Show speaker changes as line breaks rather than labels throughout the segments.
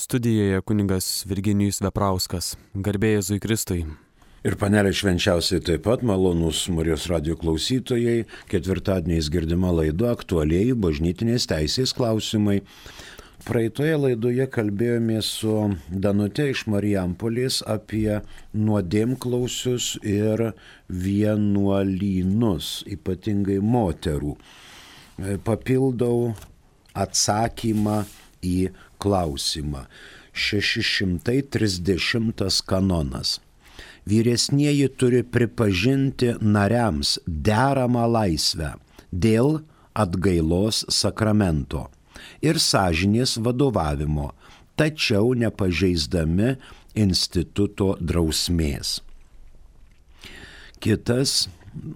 Studijoje kunigas Virginijus Veprauskas. Garbė Jėzui Kristui.
Ir panelė švenčiausiai taip pat malonūs Marijos radijo klausytojai. Ketvirtadieniais girdima laida aktualieji bažnytinės teisės klausimai. Praeitoje laidoje kalbėjomės su Danute iš Marijampolės apie nuodėmklausius ir vienuolynus, ypatingai moterų. Papildau atsakymą į klausimą. 630 kanonas. Vyresnieji turi pripažinti nariams deramą laisvę dėl atgailos sakramento ir sąžinės vadovavimo, tačiau nepažeisdami instituto drausmės. Kitas,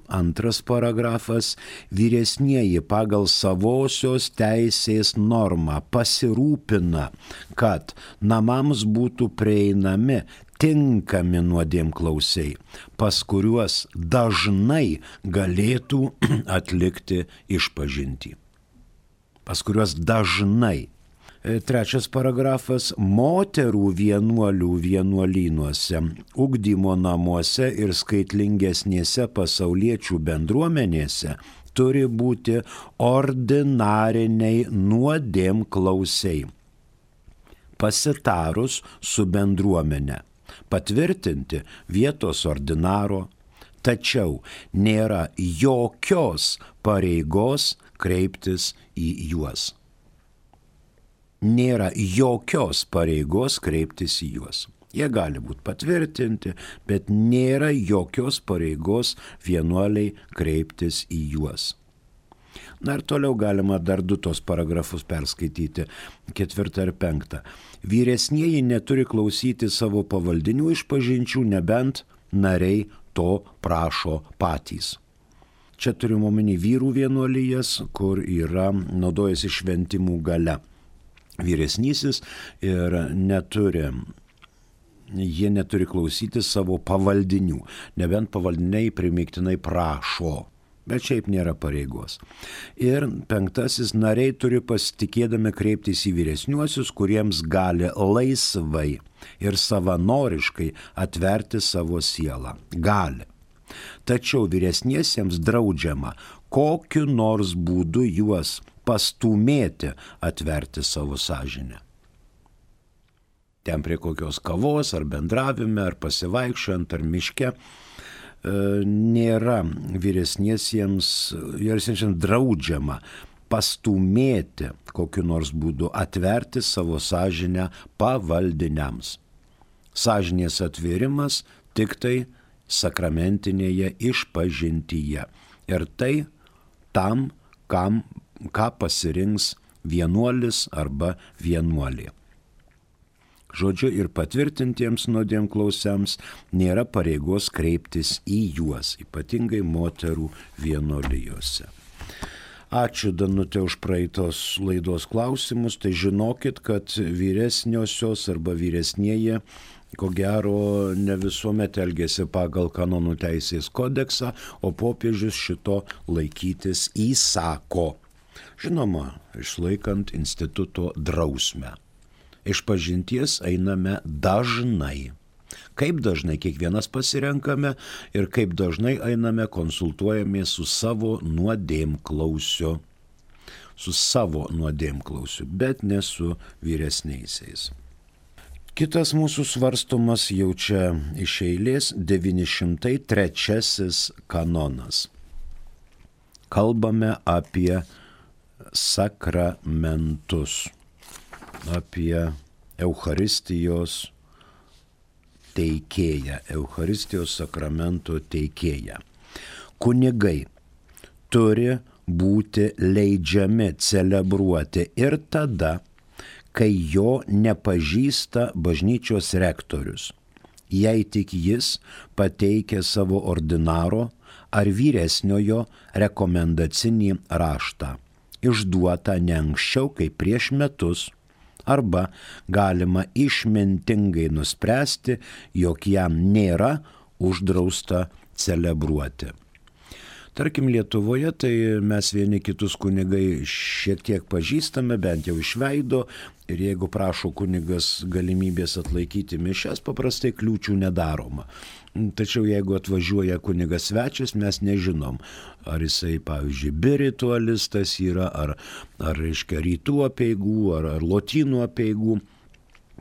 antras paragrafas, vyresnieji pagal savosios teisės normą pasirūpina, kad namams būtų prieinami tinkami nuodėmklausiai, pas kuriuos dažnai galėtų atlikti išpažintį. Pas kuriuos dažnai. Trečias paragrafas, moterų vienuolių vienuolynuose, ugdymo namuose ir skaitlingesnėse pasauliečių bendruomenėse turi būti ordinariniai nuodėmklausiai. Pasitarus su bendruomene, patvirtinti vietos ordinaro, tačiau nėra jokios pareigos kreiptis į juos. Nėra jokios pareigos kreiptis į juos. Jie gali būti patvirtinti, bet nėra jokios pareigos vienuoliai kreiptis į juos. Na ir toliau galima dar du tos paragrafus perskaityti, 4 ir 5. Vyresnieji neturi klausyti savo pavaldinių išpažinčių, nebent nariai to prašo patys. Čia turime omeny vyrų vienuolijas, kur yra naudojasi šventimų galia. Vyresnysis ir jie neturi klausyti savo pavaldinių, nebent pavaldiniai primygtinai prašo, bet šiaip nėra pareigos. Ir 5. Nariai turi pasitikėdami kreiptis į vyresniuosius, kuriems gali laisvai ir savanoriškai atverti savo sielą. Gali. Tačiau vyresniesiems draudžiama kokiu nors būdu juos pastūmėti atverti savo sąžinę. Ten prie kokios kavos ar bendravime, ar pasivaikščiojant, ar miške nėra vyresniesiems draudžiama pastūmėti kokiu nors būdu atverti savo sąžinę pavaldiniams. Sąžinės atvėrimas tik tai sakramentinėje išpažintyje. Ir tai tam, ką pasirinks vienuolis arba vienuolė. Žodžiu, ir patvirtintiems nuodėmklausiams nėra pareigos kreiptis į juos, ypatingai moterų vienuolijose. Ačiū Danute už praeitos laidos klausimus. Tai žinokit, kad vyresniosios arba vyresnieji ko gero ne visuomet elgėsi pagal kanonų teisės kodeksą, o popiežius šito laikytis įsako. Žinoma, išlaikant instituto drausmę. Išpažinties einame dažnai. Kaip dažnai kiekvienas pasirenkame ir kaip dažnai einame konsultuojamės su savo nuodėmklausiu. Bet ne su vyresniaisiais. Kitas mūsų svarstomas jau čia iš eilės 903 kanonas. Kalbame apie sakramentus, apie Eucharistijos teikėją, Eucharistijos sakramento teikėją. Kunigai turi būti leidžiami celebruoti ir tada, kai jo nepažįsta bažnyčios rektorius, jei tik jis pateikia savo ordinaro ar vyresniojo rekomendacinį raštą, išduotą ne anksčiau kaip prieš metus, arba galima išmintingai nuspręsti, jog jam nėra uždrausta celebruoti. Tarkim, Lietuvoje tai mes vieni kitus kunigai šiek tiek pažįstame, bent jau iš veido, ir jeigu prašo kunigas galimybės atlaikyti mišias, paprastai kliūčių nedaroma. Tačiau jeigu atvažiuoja kunigas svečias, mes nežinom, ar jisai, pavyzdžiui, biritualistas yra, ar reiškia, rytų apeigų, ar lotynų apeigų.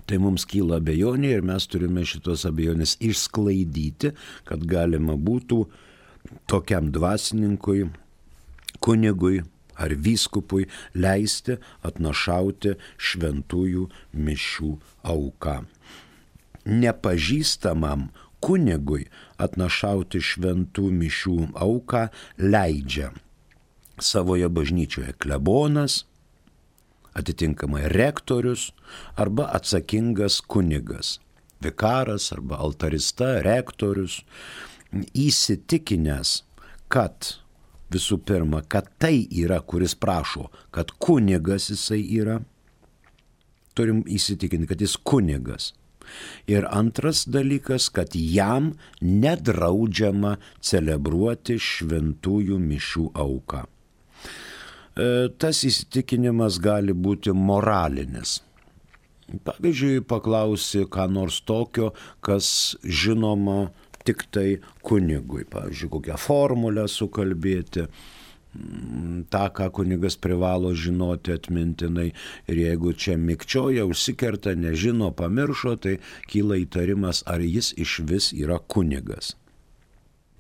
Tai mums kyla abejonė ir mes turime šitos abejonės išsklaidyti, kad galima būtų tokiam dvasininkui, kunigui ar vyskupui leisti atnašauti šventųjų mišių auką. Nepažįstamam kunigui atnašauti šventų mišių auką leidžia savoje bažnyčioje klebonas, atitinkamai rektorius arba atsakingas kunigas, vikaras arba altarista, rektorius, įsitikinęs, kad visų pirma, kad tai yra, kuris prašo, kad kunigas jisai yra, turim įsitikinti, kad jis kunigas. Ir antras dalykas, kad jam nedraudžiama celebruoti šventųjų mišių auką. Tas įsitikinimas gali būti moralinis. Pavyzdžiui, paklausi ką nors tokio, kas žinoma tik tai kunigui. Pavyzdžiui, kokią formulę sukalbėti, tą, ką kunigas privalo žinoti atmintinai. Ir jeigu čia mikčioja, užsikerta, nežino, pamiršo, tai kyla įtarimas, ar jis išvis yra kunigas.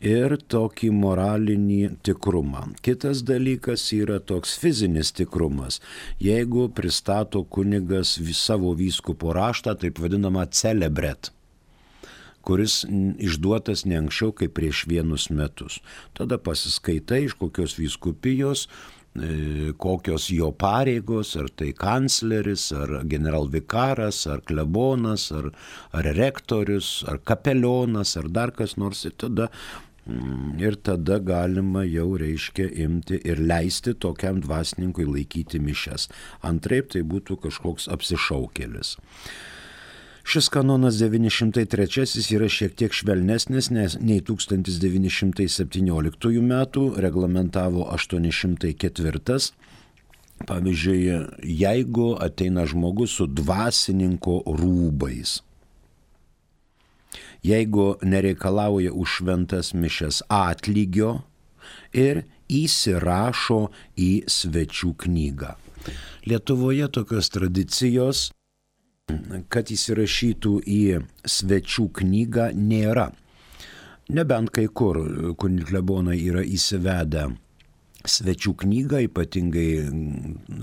Ir tokį moralinį tikrumą. Kitas dalykas yra toks fizinis tikrumas. Jeigu pristato kunigas savo vyskupo raštą, taip vadinamą celebret, kuris išduotas ne anksčiau kaip prieš 1 metus. Tada pasiskaitai, iš kokios vyskupijos, kokios jo pareigos, ar tai kancleris, ar generalvikaras, ar klebonas, ar rektorius, ar kapelionas, ar dar kas nors. Ir tada galima jau, reiškia, imti ir leisti tokiam dvasininkui laikyti mišias. Antraip tai būtų kažkoks apsišaukėlis. Šis kanonas 903 yra šiek tiek švelnesnis nei 1917 metų, reglamentavo 804. Pavyzdžiui, jeigu ateina žmogus su dvasininko rūbais, jeigu nereikalauja už šventas mišias atlygio ir įsirašo į svečių knygą. Lietuvoje tokios tradicijos, kad įsirašytų į svečių knygą, nėra. Nebent kai kur klebonai yra įsivedę svečių knygą, ypatingai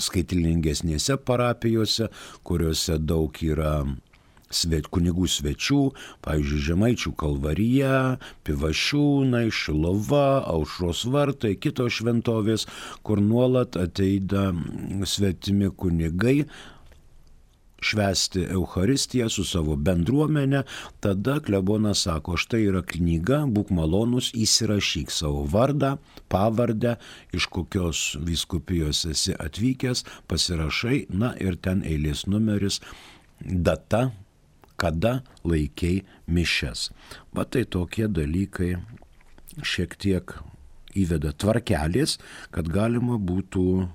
skaitlingesnėse parapijose, kuriuose daug yra kunigų svečių, pavyzdžiui, Žemaičių Kalvarija, Pivašiūnai, Šilova, Aušros vartai, kitos šventovės, kur nuolat ateina svetimi kunigai švęsti Eucharistiją su savo bendruomenė. Tada klebonas sako, štai yra knyga, būk malonus, įsirašyk savo vardą, pavardę, iš kokios vyskupijos esi atvykęs, pasirašai, na ir ten eilės numeris, data, kada laikei mišias. Va tai tokie dalykai šiek tiek įveda tvarkelės, kad galima būtų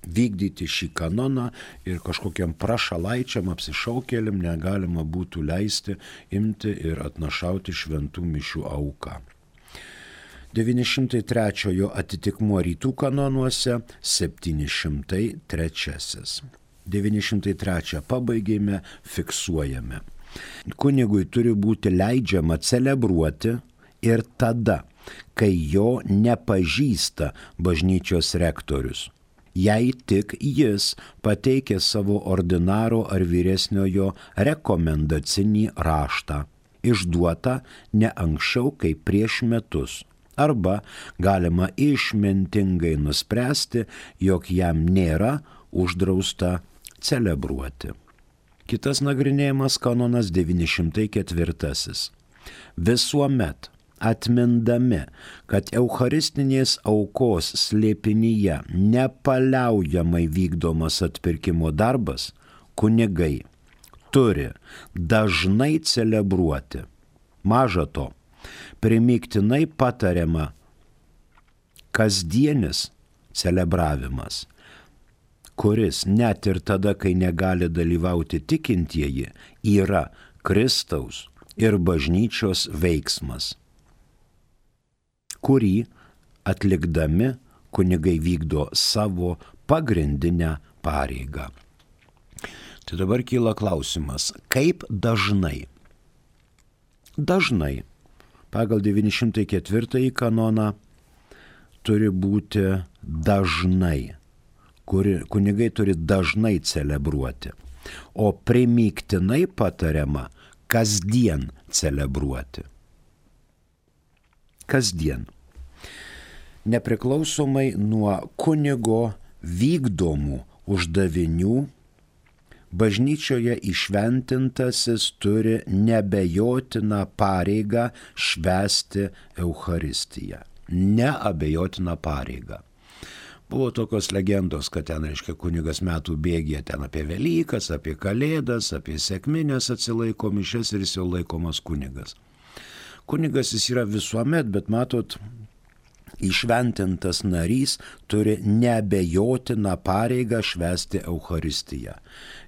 vykdyti šį kanoną ir kažkokiam prašalaičiam apsišaukėliam negalima būtų leisti imti ir atnašauti šventų mišių auką. 903 atitikmuo rytų kanonuose 703. 903 pabaigėme, fiksuojame. Kunigui turi būti leidžiama celebruoti ir tada, kai jo nepažįsta bažnyčios rektorius. Jei tik jis pateikė savo ordinaro ar vyresniojo rekomendacinį raštą, išduotą ne anksčiau kaip prieš metus, arba galima išmintingai nuspręsti, jog jam nėra uždrausta celebruoti. Kitas nagrinėjimas kanonas 904. Visuomet atmindami, kad eucharistinės aukos slėpinyje nepaliaujamai vykdomas atpirkimo darbas, kunigai turi dažnai celebruoti. Maža to, Primygtinai patariama kasdienis celebravimas, kuris net ir tada, kai negali dalyvauti tikintieji, yra Kristaus ir bažnyčios veiksmas, kurį atlikdami kunigai vykdo savo pagrindinę pareigą. Tai dabar kyla klausimas, kaip dažnai? Dažnai, pagal 904 kanoną, turi būti dažnai. Kunigai turi dažnai celebruoti, o primygtinai patariama kasdien celebruoti. Kasdien. Nepriklausomai nuo kunigo vykdomų uždavinių, bažnyčioje įšventintasis turi neabejotiną pareigą švęsti Eucharistiją. Neabejotiną pareigą. Buvo tokios legendos, kad ten, reiškia, kunigas metų bėgė ten apie Velykas, apie Kalėdas, apie sekmines atsilaiko mišias ir jis jau laikomas kunigas. Kunigas jis yra visuomet, bet matot, įšventintas narys turi neabejotiną pareigą švęsti Eucharistiją.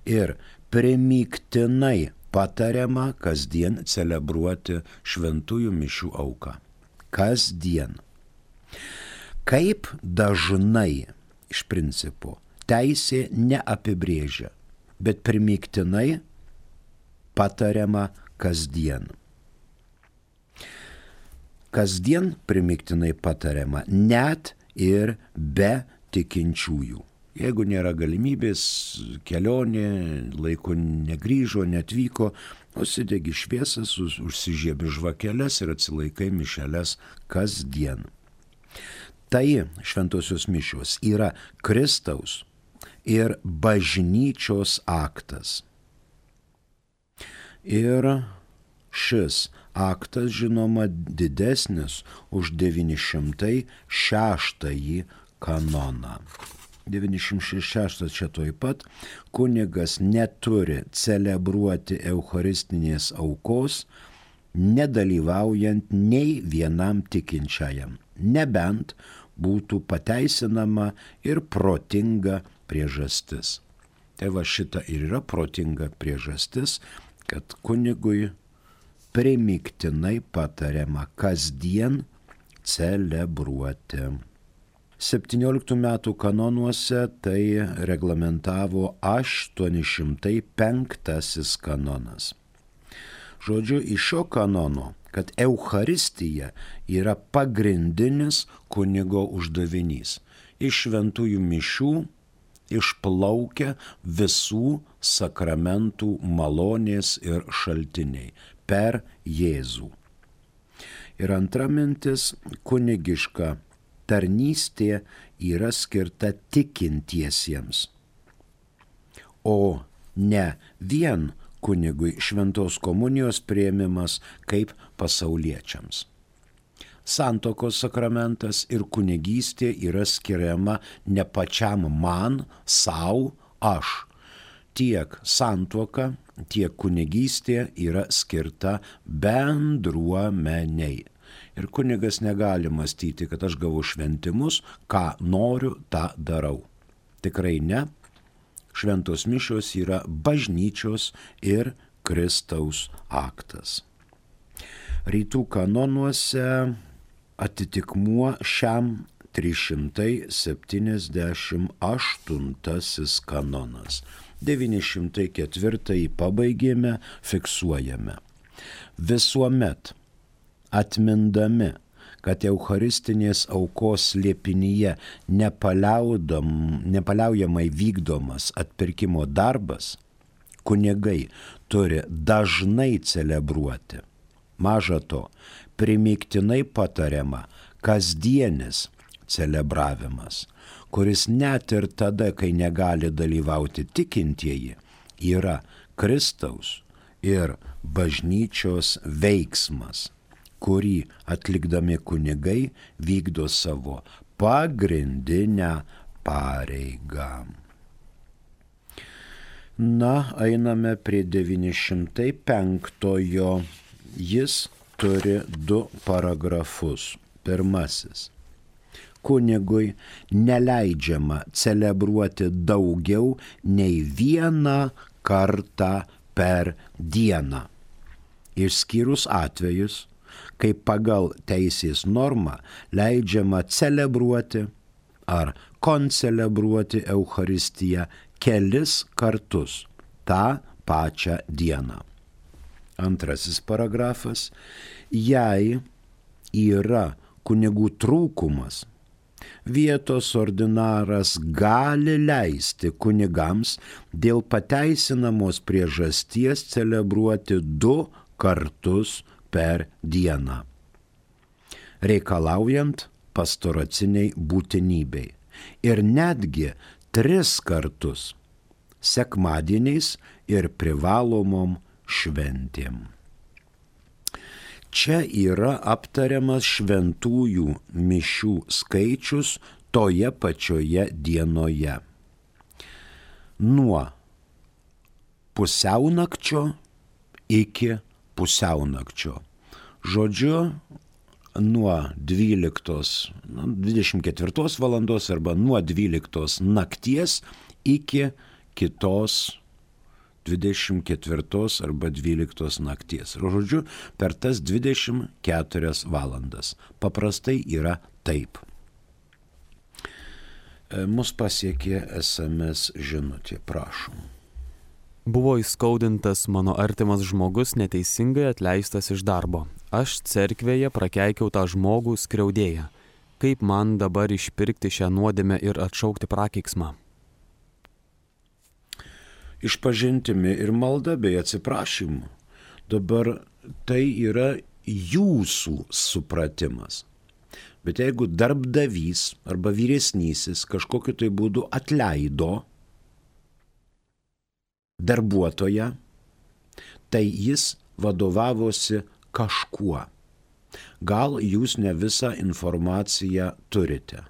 Ir primygtinai patariama kasdien celebruoti šventųjų mišių auką. Kasdien. Kaip dažnai, iš principo, teisė neapibrėžia, bet primygtinai patariama kasdien. Kasdien primygtinai patariama net ir be tikinčiųjų. Jeigu nėra galimybės, kelionė, laiku negrįžo, netvyko, užsidegi šviesas, užsižiebi žvakeles ir atsilaikai mišeles kasdien. Tai šventosios mišios yra Kristaus ir bažnyčios aktas. Ir šis aktas, žinoma, didesnis už 906 kanoną. 906 čia toj pat, kunigas neturi celebruoti eucharistinės aukos, nedalyvaujant nei vienam tikinčiajam, nebent būtų pateisinama ir protinga priežastis. Tai va šita ir yra protinga priežastis, kad kunigui primygtinai patariama kasdien celebruoti. 17 metų kanonuose tai reglamentavo 805 kanonas. Žodžiu, iš šio kanono, kad Eucharistija yra pagrindinis kunigo uždavinys. Iš šventųjų mišių išplaukia visų sakramentų malonės ir šaltiniai per Jėzų. Ir antra mintis, kunigiška tarnystė yra skirta tikintiesiems, o ne vien kunigui šventos komunijos priėmimas kaip pasauliečiams. Santuokos sakramentas ir kunigystė yra skiriama ne pačiam man, sau, aš. Tiek santuoka, tiek kunigystė yra skirta bendruomeniai. Ir kunigas negali mąstyti, kad aš gavau šventimus, ką noriu, tą darau. Tikrai ne. Šventos mišios yra bažnyčios ir Kristaus aktas. Rytų kanonuose atitikmuo šiam 378 kanonas. 904 pabaigėme, fiksuojame. Visuomet atmindami, kad eucharistinės aukos slėpinyje nepaliaujamai vykdomas atpirkimo darbas, kunigai turi dažnai celebruoti. Maža to, primygtinai patariama kasdienis celebravimas, kuris net ir tada, kai negali dalyvauti tikintieji, yra Kristaus ir bažnyčios veiksmas, kurį atlikdami kunigai vykdo savo pagrindinę pareigą. Na, einame prie 905. Jis turi 2 paragrafus. Pirmasis. Kunigui neleidžiama celebruoti daugiau nei 1 kartą per dieną. Išskyrus atvejus, kai pagal teisės normą leidžiama celebruoti ar koncelebruoti Eucharistiją kelis kartus tą pačią dieną. Antrasis paragrafas. Jei yra kunigų trūkumas, vietos ordinaras gali leisti kunigams dėl pateisinamos priežasties celebruoti 2 kartus per dieną, reikalaujant pastoraciniai būtinybei ir netgi 3 kartus sekmadieniais ir privalomom šventėm. Čia yra aptariamas šventųjų mišių skaičius toje pačioje dienoje. Nuo pusiaunakčio iki pusiaunakčio. Žodžiu, nuo 24 valandos arba nuo 12 nakties iki kitos 24 arba 12 nakties. Žodžiu, per tas 24 valandas. Paprastai yra taip. Mus pasiekė SMS žinutė, prašom.
Buvo įskaudintas mano artimas žmogus neteisingai atleistas iš darbo. Aš cerkvėje prakeikiau tą žmogų skriaudėją. Kaip man dabar išpirkti šią nuodėmę ir atšaukti prakeiksmą?
Išpažintimi ir malda bei atsiprašymu. Dabar tai yra jūsų supratimas. Bet jeigu darbdavys arba vyresnysis kažkokiu tai būdu atleido darbuotoją, tai jis vadovavosi kažkuo. Gal jūs ne visą informaciją turite.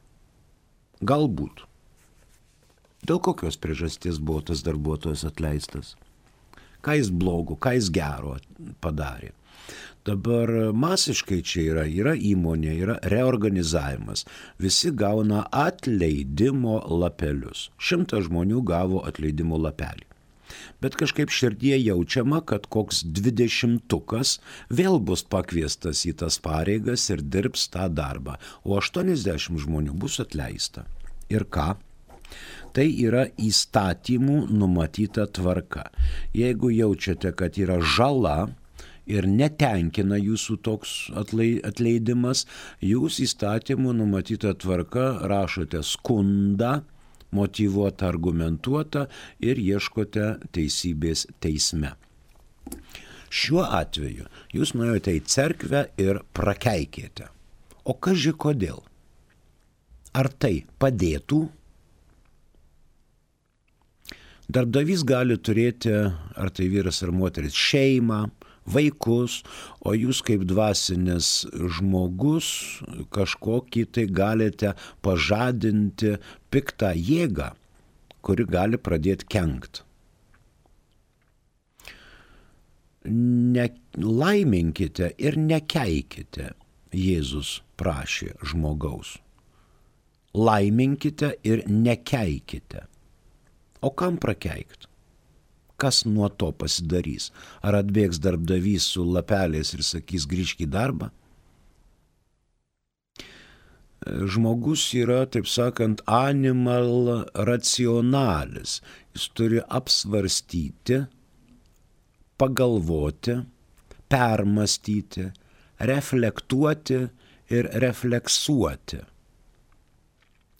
Galbūt. Dėl kokios priežasties buvo tas darbuotojas atleistas? Ką jis blogo, ką jis gero padarė? Dabar masiškai čia yra įmonė, yra reorganizavimas. Visi gauna atleidimo lapelius. 100 žmonių gavo atleidimo lapelį. Bet kažkaip širdie jaučiama, kad koks 20-ukas vėl bus pakviestas į tas pareigas ir dirbs tą darbą, o 80 žmonių bus atleista. Ir ką? Tai yra įstatymų numatyta tvarka. Jeigu jaučiate, kad yra žala ir netenkina jūsų toks atleidimas, jūs įstatymų numatyta tvarka rašote skundą, motyvuotą, argumentuotą ir ieškote teisybės teisme. Šiuo atveju jūs nuėjote į cerkvę ir prakeikėte. O kaži kodėl? Ar tai padėtų? Darbdavys gali turėti, ar tai vyras ar moteris, šeimą, vaikus, o jūs kaip dvasinis žmogus kažkokį tai galite pažadinti piktą jėgą, kuri gali pradėti kenkt. Nelaiminkite ir nekeikite, Jėzus prašė žmogaus. Laiminkite ir nekeikite. O kam prakeikt? Kas nuo to pasidarys? Ar atbėgs darbdavys su lapeliais ir sakys grįžk į darbą? Žmogus yra, taip sakant, animal racionalis. Jis turi apsvarstyti, pagalvoti, permastyti, reflektuoti ir refleksuoti.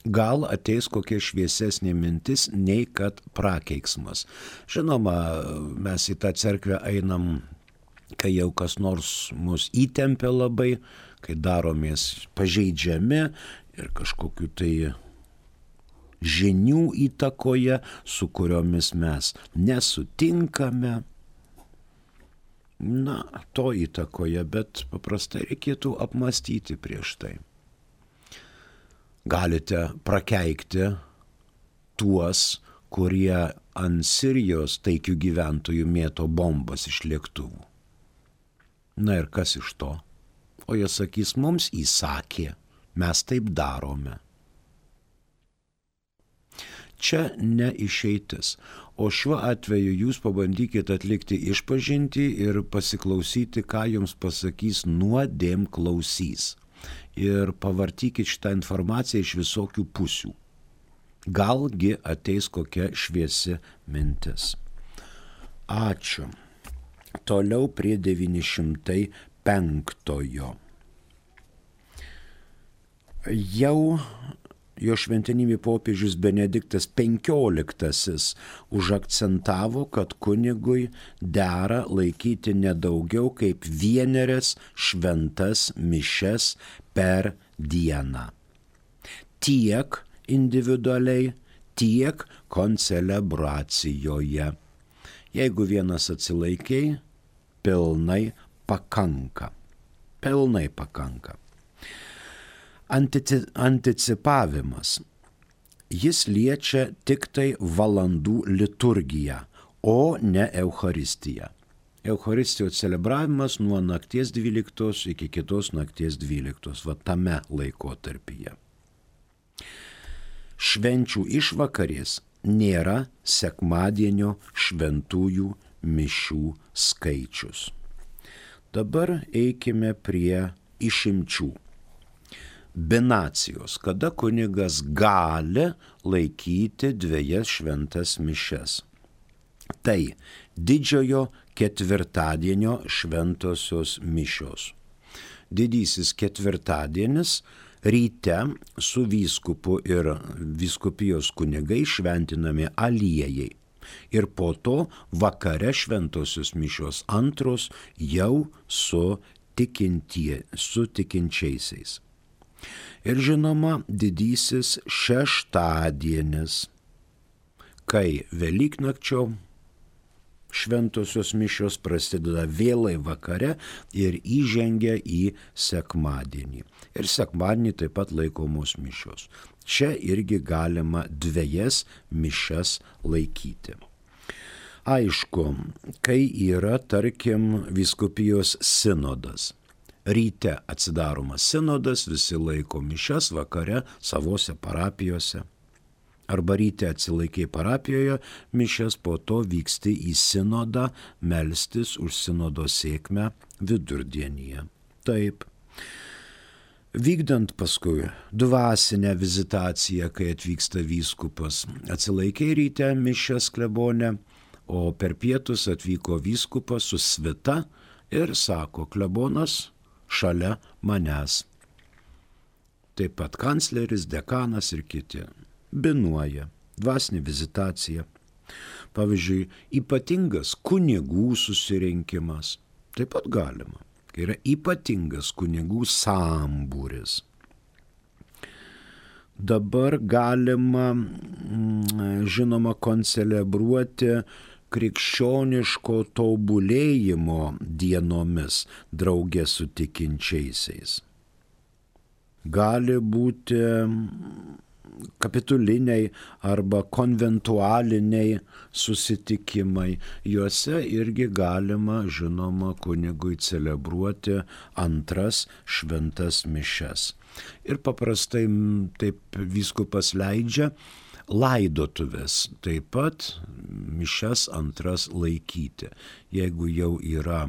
Gal ateis kokia šviesesnė mintis, nei kad prakeiksmas. Žinoma, mes į tą cerkvę einam, kai jau kas nors mus įtempia labai, kai daromės pažeidžiami ir kažkokiu tai žinių įtakoje, su kuriomis mes nesutinkame. Na, to įtakoje, bet paprastai reikėtų apmastyti prieš tai. Galite prakeikti tuos, kurie ant Sirijos taikių gyventojų mėto bombas iš lėktuvų. Na ir kas iš to? O jie sakys, mums įsakė, mes taip darome. Čia ne išeitis, o šiuo atveju jūs pabandykite atlikti išpažintį ir pasiklausyti, ką jums pasakys nuodėm klausys. Ir pavartykit šitą informaciją iš visokių pusių. Galgi ateis kokia šviesi mintis. Ačiū. Toliau prie 905. Jau jo šventenybė popiežius Benediktas XV užakcentavo, kad kunigui dera laikyti nedaugiau kaip 1 šventas mišias per dieną. Tiek individualiai, tiek koncelebracijoje. Jeigu vienas atsilaikiai, pilnai pakanka. Pilnai pakanka. Anticipavimas. Jis liečia tik tai valandų liturgiją, o ne Eucharistiją. Eucharistijos celebravimas nuo nakties 12 iki kitos nakties 12, va tame laikotarpyje. Švenčių išvakarės nėra sekmadienio šventųjų mišių skaičius. Dabar eikime prie išimčių. Binacijos, kada kunigas gali laikyti 2 šventas mišias. Tai didžiojo ketvirtadienio šventosios mišios. Didysis ketvirtadienis ryte su vyskupu ir vyskupijos kunigai šventinami aliejai. Ir po to vakare šventosios mišios antros jau su tikinčiaisiais. Ir žinoma, didysis šeštadienis, kai Velyknakčio šventosios mišios prasideda vėlai vakare ir įžengia į sekmadienį. Ir sekmadienį taip pat laikomos mišios. Čia irgi galima 2 mišias laikyti. Aišku, kai yra, tarkim, vyskupijos sinodas. Ryte atsidaromas sinodas, visi laiko mišias, vakare savose parapijose. Arba ryte atsilaikiai parapijoje mišias, po to vyksti į sinodą melstis už sinodo sėkmę vidurdienyje. Taip. Vykdant paskui dvasinę vizitaciją, kai atvyksta vyskupas, atsilaikiai ryte mišias klebone, o per pietus atvyko vyskupas su svita ir sako, klebonas šalia manęs. Taip pat kancleris, dekanas ir kiti. Binuoja, dvasinė vizitacija. Pavyzdžiui, ypatingas kunigų susirinkimas. Taip pat galima, kai yra ypatingas kunigų sambūris. Dabar galima, žinoma, koncelebruoti krikščioniško tobulėjimo dienomis draugė su tikinčiaisiais. Gali būti kapituliniai arba konventualiniai susitikimai. Juose irgi galima, žinoma, kunigui celebruoti 2 šventas mišias. Ir paprastai taip vyskupas leidžia laidotuvės, taip pat mišias 2 laikyti, jeigu jau yra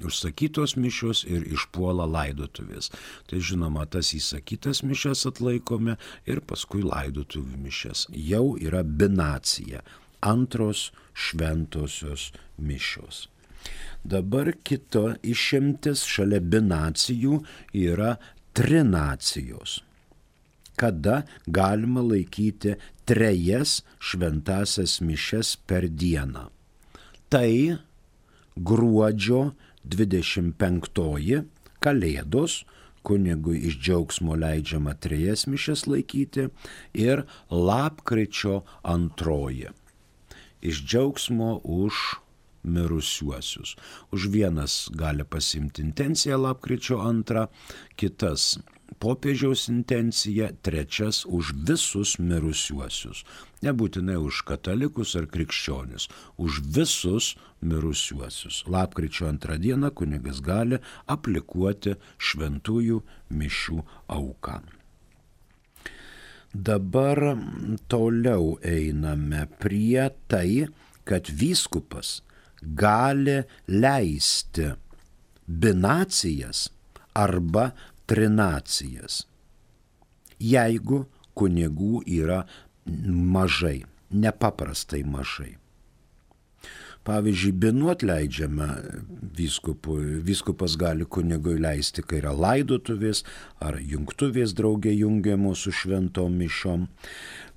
užsakytos mišios ir išpuola laidotuvės. Tai žinoma, tas įsakytas mišias atlaikome ir paskui laidotuvių mišias. Jau yra binacija, 2 šventosios mišios. Dabar kita išimtis šalia binacijų yra trinacijos, kada galima laikyti 3 šventasias mišias per dieną. Tai gruodžio 25 Kalėdos, kunigui iš džiaugsmo leidžiama 3 mišias laikyti, ir lapkričio 2 iš džiaugsmo už mirusiuosius. Už vienas gali pasimti intenciją lapkričio 2, kitas popiežiaus intencija, trečias už visus mirusiuosius. Nebūtinai už katalikus ar krikščionis, už visus mirusiuosius. Lapkričio 2 dieną kunigas gali aplikuoti šventųjų mišių auką. Dabar toliau einame prie tai, kad vyskupas gali leisti binacijas arba trinacijas, jeigu kunigų yra mažai, nepaprastai mažai. Pavyzdžiui, binuot leidžiame vyskupui. Vyskupas gali kunigui leisti, kai yra laidotuvės ar jungtuvės drauge jungiamos su šventom mišiom.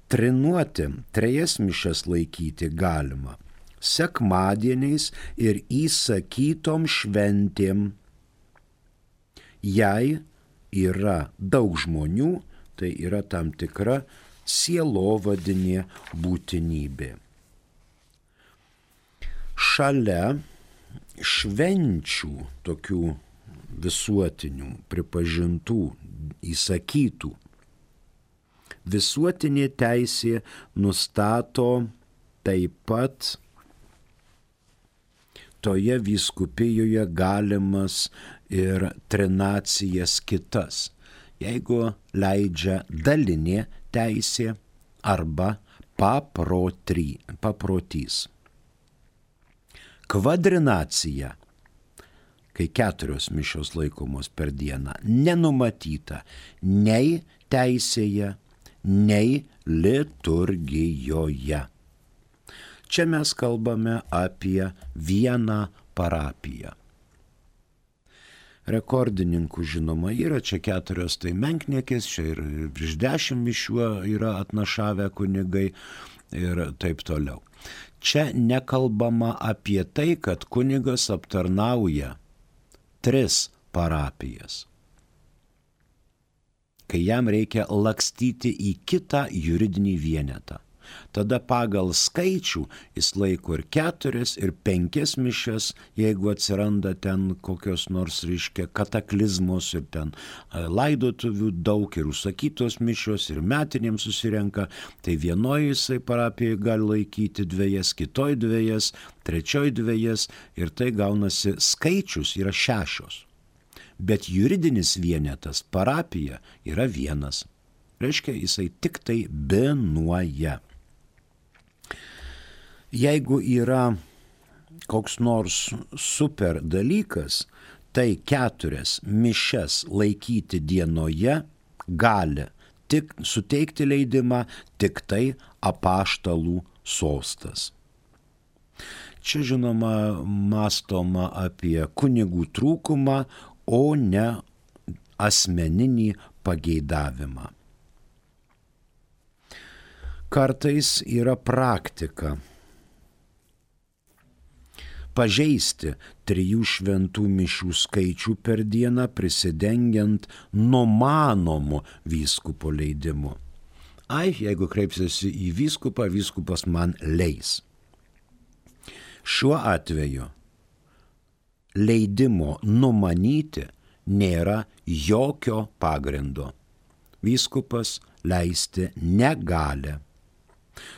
Trinuoti, trejas mišias laikyti galima sekmadieniais ir įsakytom šventėm. Jei yra daug žmonių, tai yra tam tikra sielovadinė būtinybė. Šalia švenčių, tokių visuotinių, pripažintų, įsakytų, visuotinė teisė nustato taip pat toje vyskupijoje galimas ir trinacijas kitas, jeigu leidžia dalinė teisė arba paprotys. Kvadrinacija, kai 4 mišios laikomos per dieną, nenumatyta nei teisėje, nei liturgijoje. Čia mes kalbame apie vieną parapiją. Rekordininkų žinoma yra, čia 4 tai menkniekės, čia ir virš 10 mišių yra atnašavę kunigai ir taip toliau. Čia nekalbama apie tai, kad kunigas aptarnauja 3 parapijas, kai jam reikia lakstyti į kitą juridinį vienetą. Tada pagal skaičių jis laiko ir 4, ir 5 mišias, jeigu atsiranda ten kokios nors, kataklizmos ir ten laidotuvių daug ir užsakytos mišios ir metinėms susirenka, tai vienoje jisai parapijoje gali laikyti 2, kitoje 2, trečioje 2 ir tai gaunasi skaičius yra 6. Bet juridinis vienetas parapija yra 1. Reiškia, jisai tik tai binuoja. Jeigu yra koks nors super dalykas, tai 4 mišias laikyti dienoje gali tik suteikti leidimą tik tai apaštalų sostas. Čia žinoma mąstoma apie kunigų trūkumą, o ne asmeninį pageidavimą. Kartais yra praktika pažeisti 3 šventų mišių skaičių per dieną, prisidengiant numanomu vyskupo leidimu. Jeigu kreipsiuosi į vyskupą, vyskupas man leis. Šiuo atveju leidimo numanyti nėra jokio pagrindo. Vyskupas leisti negali.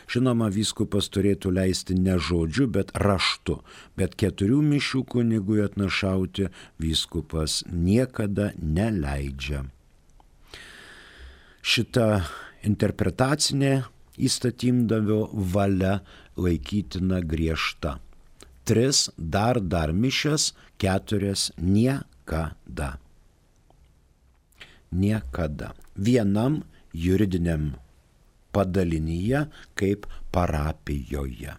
Žinoma, vyskupas turėtų leisti ne žodžiu, bet raštu, bet 4 mišių kunigui atnašauti vyskupas niekada neleidžia. Šita interpretacinė įstatymdavio valia laikytina griežta. 3 dar mišias, 4 niekada. Niekada. Vienam juridiniam padalinyje kaip parapijoje.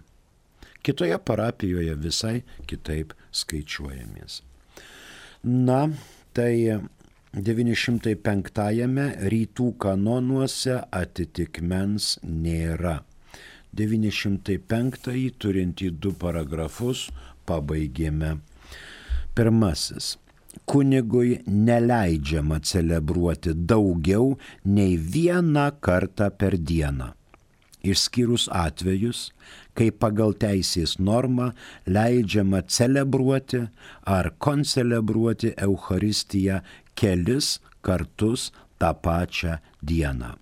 Kitoje parapijoje visai kitaip skaičiuojamės. Na, tai 905 rytų kanonuose atitikmens nėra. 905 turintį 2 paragrafus pabaigėme. 1. Kunigui neleidžiama celebruoti daugiau nei 1 kartą per dieną, išskyrus atvejus, kai pagal teisės normą leidžiama celebruoti ar koncelebruoti Eucharistiją kelis kartus tą pačią dieną.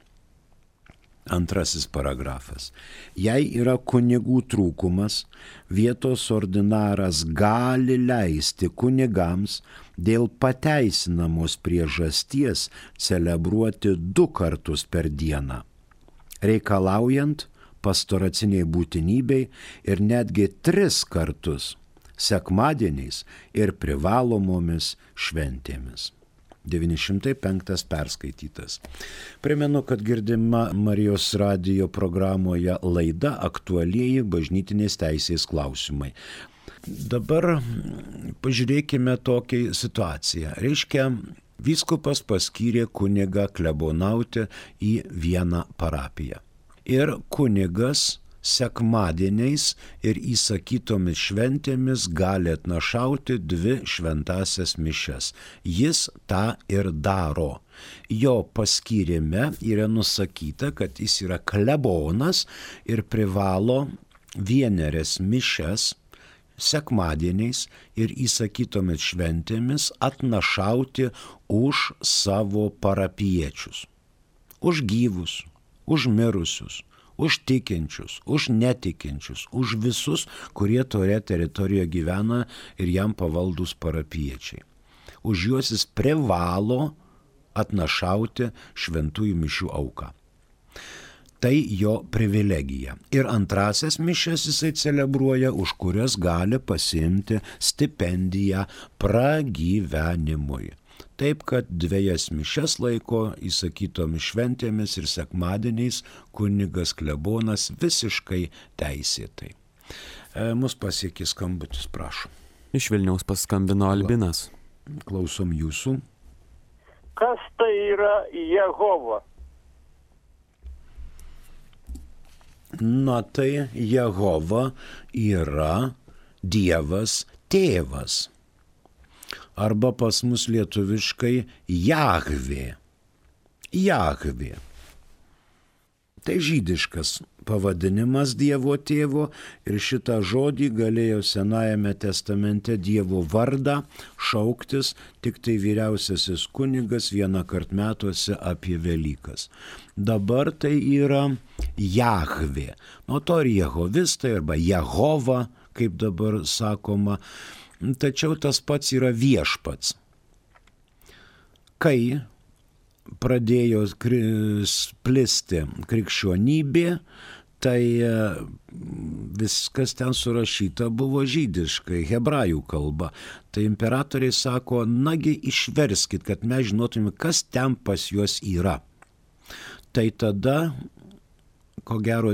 Antrasis paragrafas. Jei yra kunigų trūkumas, vietos ordinaras gali leisti kunigams dėl pateisinamos priežasties celebruoti 2 kartus per dieną, reikalaujant pastoraciniai būtinybei ir netgi 3 kartus sekmadieniais ir privalomomis šventėmis. 905 perskaitytas. Primenu, kad girdima Marijos radijo programoje laida Aktualieji bažnytinės teisės klausimai. Dabar pažiūrėkime tokią situaciją. Reiškia, vyskupas paskyrė kunigą klebonauti į vieną parapiją. Ir kunigas sekmadieniais ir įsakytomis šventėmis gali atnašauti 2 šventąsias mišias. Jis tą ir daro. Jo paskyrime yra nusakyta, kad jis yra klebonas ir privalo 1 mišias sekmadieniais ir įsakytomis šventėmis atnašauti už savo parapiečius. Už gyvus, už mirusius, už tikinčius, už netikinčius, už visus, kurie toje teritorijoje gyvena ir jam pavaldus parapiečiai. Už juos jis privalo atnašauti šventųjų mišių auką. Tai jo privilegija. Ir antrasias mišias jisai celebruoja, už kurias gali pasiimti stipendiją pragyvenimui. Taip, kad 2 mišias laiko įsakytomis šventėmis ir sekmadieniais kunigas klebonas visiškai teisėtai. Mus pasiekė skambutis, prašom.
Iš Vilniaus paskambino Albinas.
Klausom jūsų.
Kas tai yra Jehova?
Na tai Jehova yra Dievas tėvas. Arba pas mus lietuviškai Jahvė. Jahvė. Tai žydiškas pavadinimas Dievo tėvo ir šitą žodį galėjo Senajame testamente Dievo vardą šauktis tik tai vyriausiasis kunigas 1 kart metuose apie Velykas. Dabar tai yra Jahvė. Nuo to ir jehovistai arba Jehova, kaip dabar sakoma, tačiau tas pats yra viešpats. Kai pradėjo plisti krikščionybė, tai viskas ten surašyta buvo žydiškai, hebrajų kalba. Tai imperatoriai sako, nagi išverskit, kad mes žinotume, kas ten pas juos yra. Tai tada, ko gero,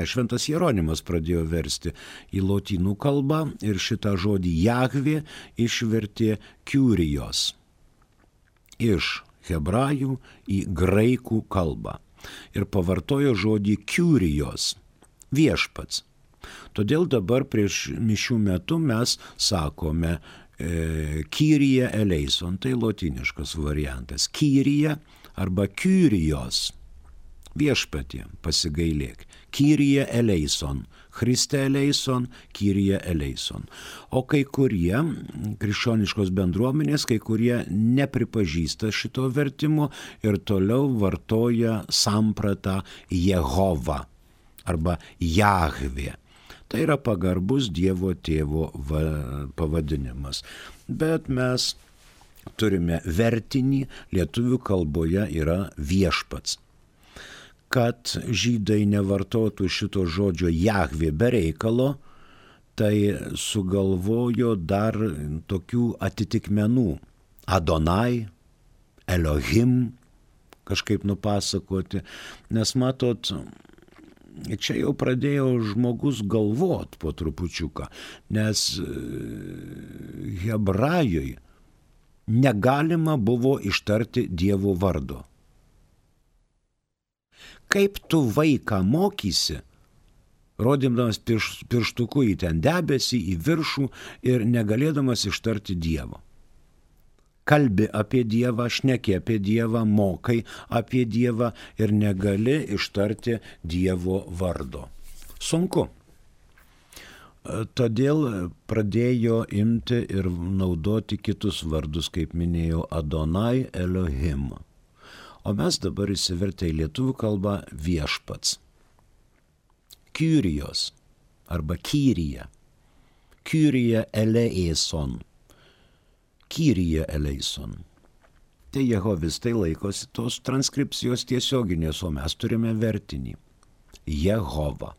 Šventas Jeronimas pradėjo versti į lotynų kalbą ir šitą žodį Jahvė išvertė Kyrijos iš hebrajų į graikų kalbą ir pavartojo žodį Kyrijos, viešpats. Todėl dabar prieš mišių metu mes sakome Kyrie eleison, tai lotyniškas variantas. Kyrie arba Kyrijos. Viešpatie, pasigailėk. Kyrie eleison, Christe eleison, Kyrie eleison. O kai kurie krikščioniškos bendruomenės, kai kurie nepripažįsta šito vertimo ir toliau vartoja sampratą Jehova arba Jahvė. Tai yra pagarbus Dievo tėvo pavadinimas. Bet mes turime vertinį, lietuvių kalboje yra viešpats. Kad žydai nevartotų šito žodžio Jahvė be reikalo, tai sugalvojo dar tokių atitikmenų. Adonai, Elohim, kažkaip nupasakoti. Nes matot, čia jau pradėjo žmogus galvot po trupučiuką, nes hebrajui negalima buvo ištarti Dievo vardo. Kaip tu vaiką mokysi, rodymdamas pirštuku į ten debesį, į viršų ir negalėdamas ištarti Dievo. Kalbi apie Dievą, šneki apie Dievą, mokai apie Dievą ir negali ištarti Dievo vardo. Sunku. todėl pradėjo imti ir naudoti kitus vardus, kaip minėjau, Adonai, Elohim. O mes dabar įsivertę į lietuvių kalbą viešpats. Kyrijos arba Kyrija. Kyrija eleison. Kyrija eleison. Tai jehovistai laikosi tos transkripcijos tiesioginės, o mes turime vertinį. Jehova.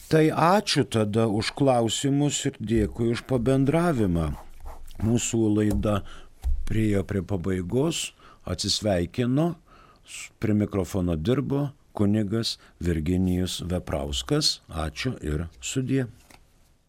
Tai ačiū tada už klausimus ir dėkui už pabendravimą. Mūsų laida priėjo prie pabaigos, atsisveikino, prie mikrofono dirbo kunigas Virginijus Veprauskas. Ačiū ir sudie.